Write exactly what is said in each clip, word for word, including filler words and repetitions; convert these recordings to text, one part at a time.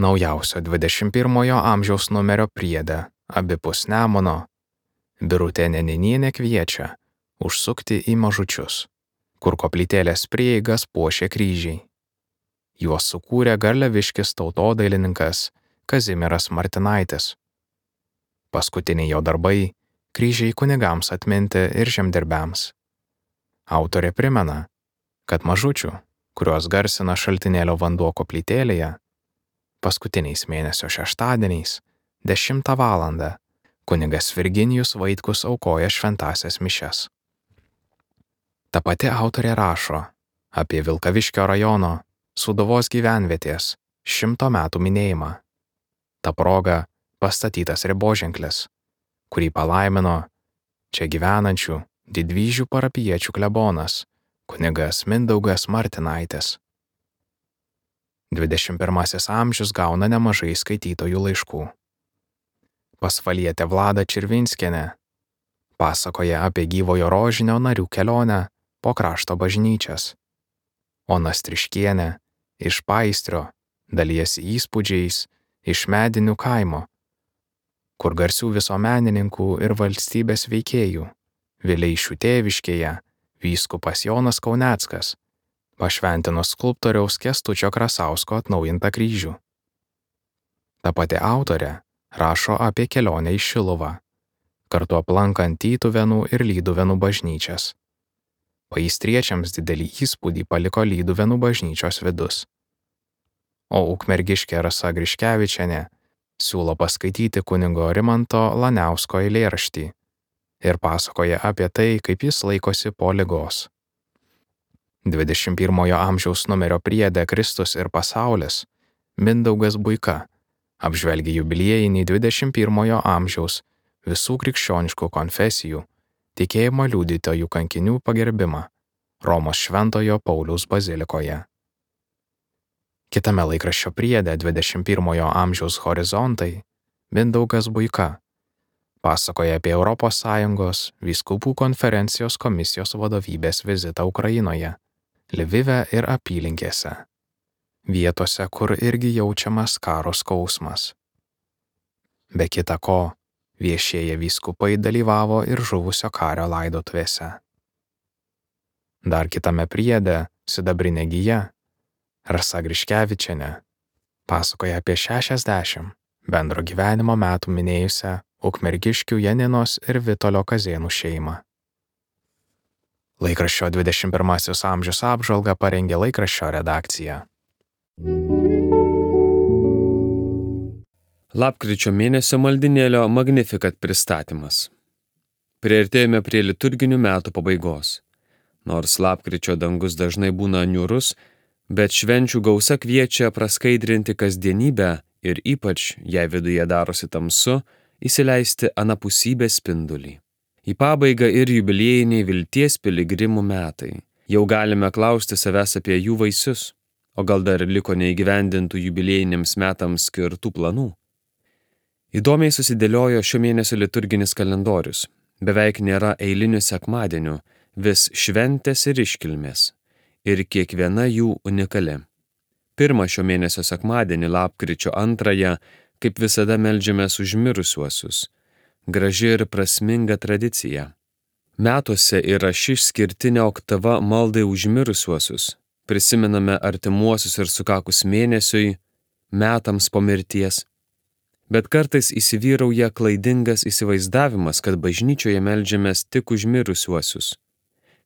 Naujausio dvidešimt pirmojo amžiaus numerio priede abipus Nemuno Birutė Neninienė kviečia užsukti į Mažučius, kur koplytėlės prieigas puošė kryžiai. Juos sukūrė garliaviškis tautodailininkas Kazimieras Martinaitis. Paskutiniai jo darbai – kryžiai kunigams atminti ir žemdirbiams. Autorė primena, kad Mažučių, kuriuos garsina Šaltinėlio vanduo koplytėlėje, paskutiniais mėnesio šeštadieniais, dešimtą valandą, kunigas Virginijus Vaitkus aukoja šventąsias mišias. Ta pati autorė rašo apie Vilkaviškio rajono Sūduvos gyvenvietės šimto metų minėjimą. Ta proga pastatytas riboženklis, kurį palaimino čia gyvenančių Didvyžių parapijiečių klebonas kunigas Mindaugas Martinaitis. dvidešimt pirmasis amžius gauna nemažai skaitytojų laiškų. Pasvalietė Vlada Čirvinskienė pasakoja apie gyvojo rožinio narių kelionę po krašto bažnyčias. Ona Striškienė iš Paistrio dalijasi įspūdžiais iš Medinių kaimo, kur garsių visuomenininkų ir valstybės veikėjų Vileišių tėviškėje vyskupas Jonas Kauneckas pašventino skulptoriaus Kęstučio Krasausko atnaujintą kryžių. Ta pati autorė rašo apie kelionę į Šiluvą, kartu aplankant Tytuvėnų ir Lyduvėnų bažnyčias. Paistriečiams didelį įspūdį paliko Lyduvėnų bažnyčios vidus. O ukmergiškė Rasa Griškevičienė siūlo paskaityti kunigo Rimanto Laniausko eilėraštį ir pasakoja apie tai, kaip jis laikosi po ligos. dvidešimt pirmojo amžiaus numerio priede Kristus ir pasaulis Mindaugas Buika apžvelgia jubiliejinį dvidešimt pirmojo amžiaus visų krikščioniškų konfesijų tikėjimo liudytojų kankinių pagerbimą Romos Šventojo Pauliaus bazilikoje. Kitame laikraščio priede dvidešimt pirmojo amžiaus horizontai Mindaugas Buika pasakoja apie Europos Sąjungos vyskupų konferencijos komisijos vadovybės vizitą Ukrainoje, Lvive ir apylinkėse, vietose, kur irgi jaučiamas karo skausmas. Be kita ko, viešieji vyskupai dalyvavo ir žuvusio kario laidotuvėse. Dar kitame priede Sidabrinė gija Rasa Griškevičienė pasakoja apie šešiasdešimt bendro gyvenimo metų minėjusią ukmergiškių Janinos ir Vitolio Kazėnų šeimą. Laikraščio dvidešimt pirmasis amžius apžvalgą parengė laikraščio redakcija. Lapkričio mėnesio maldinėlio Magnificat pristatymas. Priartėjome prie liturginių metų pabaigos. Nors lapkričio dangus dažnai būna niūrus, bet švenčių gausa kviečia praskaidrinti kasdienybę ir ypač, jei viduje darosi tamsu, įsileisti anapusybės spindulį. Į pabaigą ir jubiliejiniai vilties piligrimų metai. Jau galime klausti savęs apie jų vaisius, o gal dar liko neįgyvendintų jubiliejiniams metams skirtų planų. Įdomiai susidėliojo šio mėnesio liturginis kalendorius. Beveik nėra eilinių sekmadienių, vis šventės ir iškilmės. Ir kiekviena jų unikali. Pirmą šio mėnesio sekmadienį, lapkričio antrąją, kaip visada meldžiamės už mirusiuosius. Graži ir prasminga tradicija. Metuose yra ši išskirtinė oktava maldai už mirusiuosius. Prisimename artimuosius ir sukakus mėnesiui, metams po mirties. Bet kartais įsivyrauja klaidingas įsivaizdavimas, kad bažnyčioje meldžiamės tik už mirusiuosius.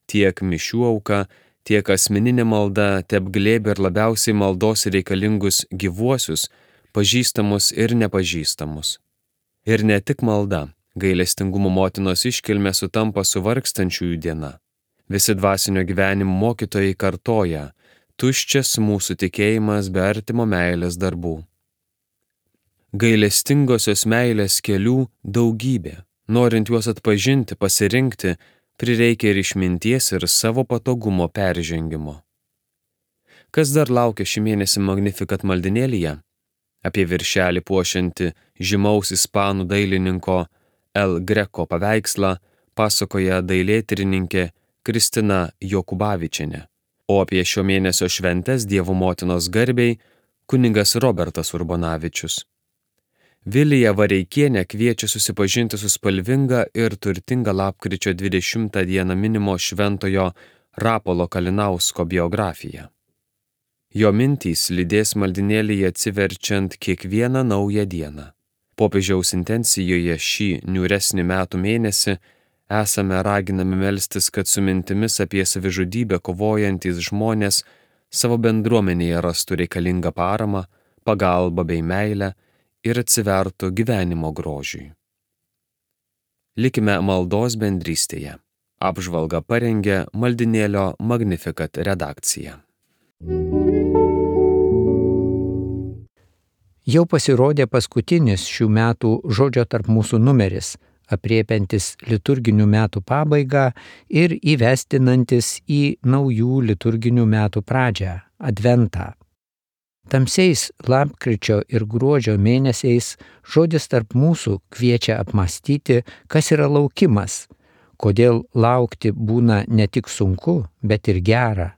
Tiek mišių auka, tiek asmeninė malda teapglėbia ir labiausiai maldos reikalingus gyvuosius, pažįstamus ir nepažįstamus. Ir ne tik malda, gailestingumo motinos iškilmė sutampa su vargstančiųjų diena. Visi dvasinio gyvenimo mokytojai kartoja, tuščias mūsų tikėjimas be artimo meilės darbų. Gailestingosios meilės kelių daugybė. Norint juos atpažinti, pasirinkti, prireikia ir išminties ir savo patogumo peržengimo. Kas dar laukia šį mėnesį Magnificat maldinėlyje? Apie viršelį puošiantį žymaus ispanų dailininko El Greco paveikslą pasakoja dailėtyrininkė Kristina Jokubavičienė, o apie šio mėnesio šventes Dievo motinos garbei kunigas Robertas Urbonavičius. Vilija Vareikienė kviečia susipažinti su spalvinga ir turtinga lapkričio dvidešimtą dieną minimo šventojo Rapolo Kalinausko biografija. Jo mintys lydės maldinėlyje atsiverčiant kiekvieną naują dieną. Popiežiaus intencijoje šį niūresnį metų mėnesį esame raginami melstis, kad su mintimis apie savižudybę kovojantys žmonės savo bendruomenėje rastų reikalingą paramą, pagalbą bei meilę ir atsivertų gyvenimo grožiui. Likime maldos bendrystėje. Apžvalgą parengė maldinėlio Magnificat redakcija. Jau pasirodė paskutinis šių metų Žodžio tarp mūsų numeris, apriepiantis liturginių metų pabaigą ir įvestinantis į naujų liturginių metų pradžią – Adventą. Tamsiais lapkričio ir gruodžio mėnesiais Žodis tarp mūsų kviečia apmąstyti, kas yra laukimas, kodėl laukti būna ne tik sunku, bet ir gera.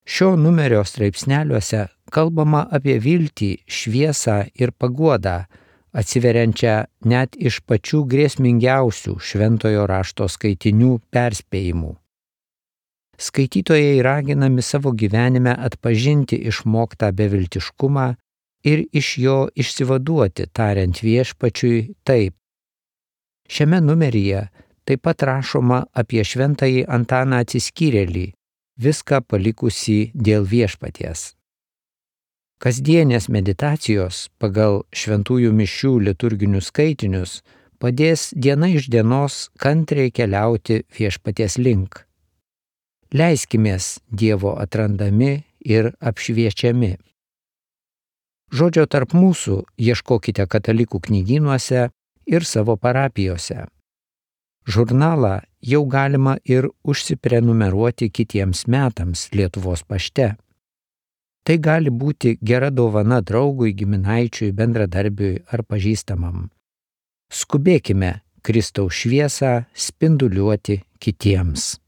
Šio numerio straipsneliuose kalbama apie viltį, šviesą ir paguodą, atsiveriančią net iš pačių grėsmingiausių šventojo rašto skaitinių perspėjimų. Skaitytojai raginami savo gyvenime atpažinti išmoktą beviltiškumą ir iš jo išsivaduoti, tariant viešpačiui taip. Šiame numeryje taip pat rašoma apie šventąjį Antaną Atsiskyrėlį, viską palikusį dėl viešpaties. Kasdienės meditacijos pagal šventųjų mišių liturginius skaitinius padės diena iš dienos kantriai keliauti viešpaties link. Leiskimės Dievo atrandami ir apšviečiami. Žodžio tarp mūsų ieškokite katalikų knygynuose ir savo parapijose. Žurnalą jau galima ir užsiprenumeruoti kitiems metams Lietuvos pašte. Tai gali būti gera dovana draugui, giminaičiui, bendradarbiui ar pažįstamam. Skubėkime Kristaus šviesą spinduliuoti kitiems.